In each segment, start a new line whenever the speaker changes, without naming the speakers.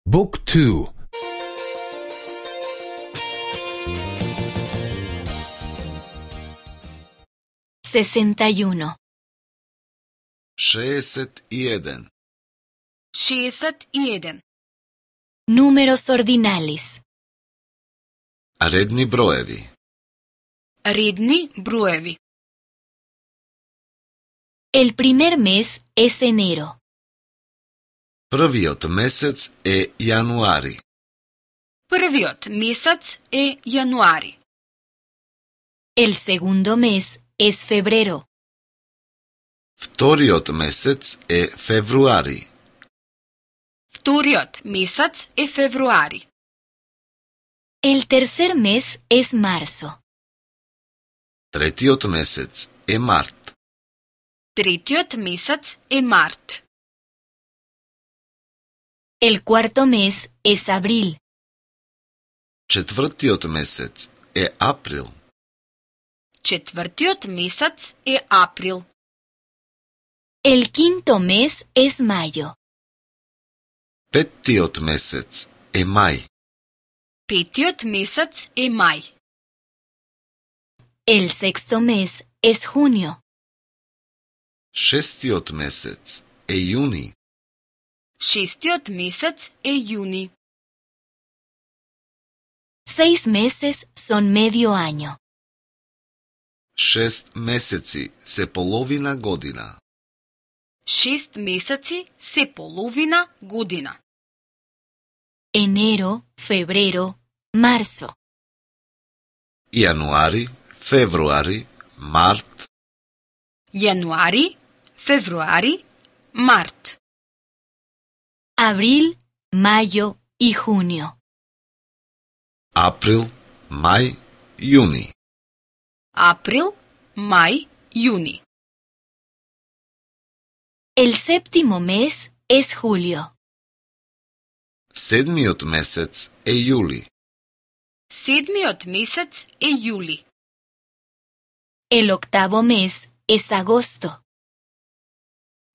Book 2.
61.
61.
61.
Números ordinales.
Редни броеви.
Редни броеви.
El primer mes es enero.
Првиот месец е јануари.
Првиот месец е јануари.
El segundo mes es febrero.
Вториот месец е февруари.
Вториот месец е февруари.
El tercer mes es marzo.
Третиот месец е март.
Третиот месец е март.
El cuarto mes es abril.
Четвртиот месец е април.
Четвртиот месец е април.
El quinto mes es mayo.
Петтиот месец е мај.
Петиот месец е мај.
El sexto mes es junio.
Шестиот месец е јуни.
Шестиот месец е јуни.
6 meses son medio año.
6 месеци се половина година.
6 месеци се половина година.
Enero, febrero, marzo.
Јануари, февруари, март.
Јануари, февруари, март.
Abril, mayo y junio.
Април, мај, јуни.
Април, мај, јуни.
El séptimo mes es julio.
Седмиот месец е јули.
Седмиот месец е јули.
El octavo mes es agosto.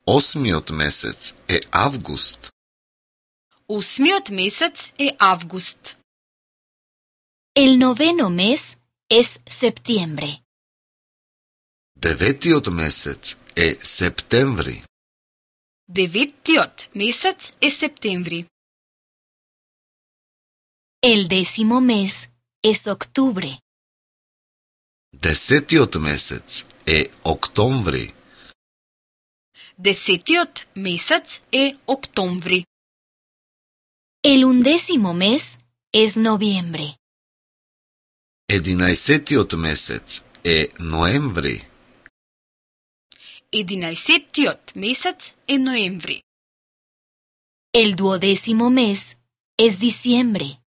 Осмиот месец е август.
Осмиот месец е август.
El noveno mes es septiembre.
Деветиот месец е септември.
Деветиот месец е септември.
El décimo mes es octubre.
Десетиот месец е октомври.
Десетиот месец е октомври.
El undécimo mes es noviembre.
Единаесетиот месец е ноември.
Единаесетиот месец е ноември.
El duodécimo mes es diciembre.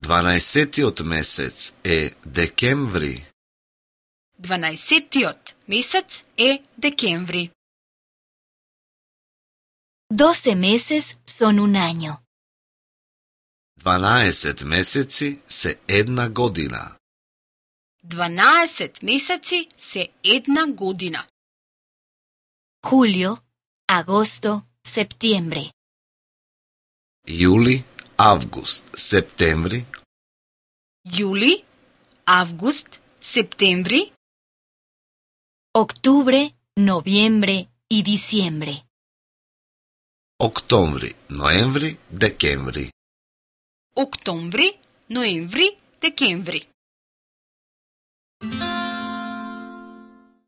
Дванаесетиот месец е декември.
Дванаесетиот месец е декември.
12 meses son un año.
12 месеци се една година.
12 месеци се една година.
Julio, agosto, septiembre.
Јули, август, септември.
Јули, август, септември.
Octubre, noviembre y diciembre.
Октомври, ноември, декември.
Октомври, ноември, декември.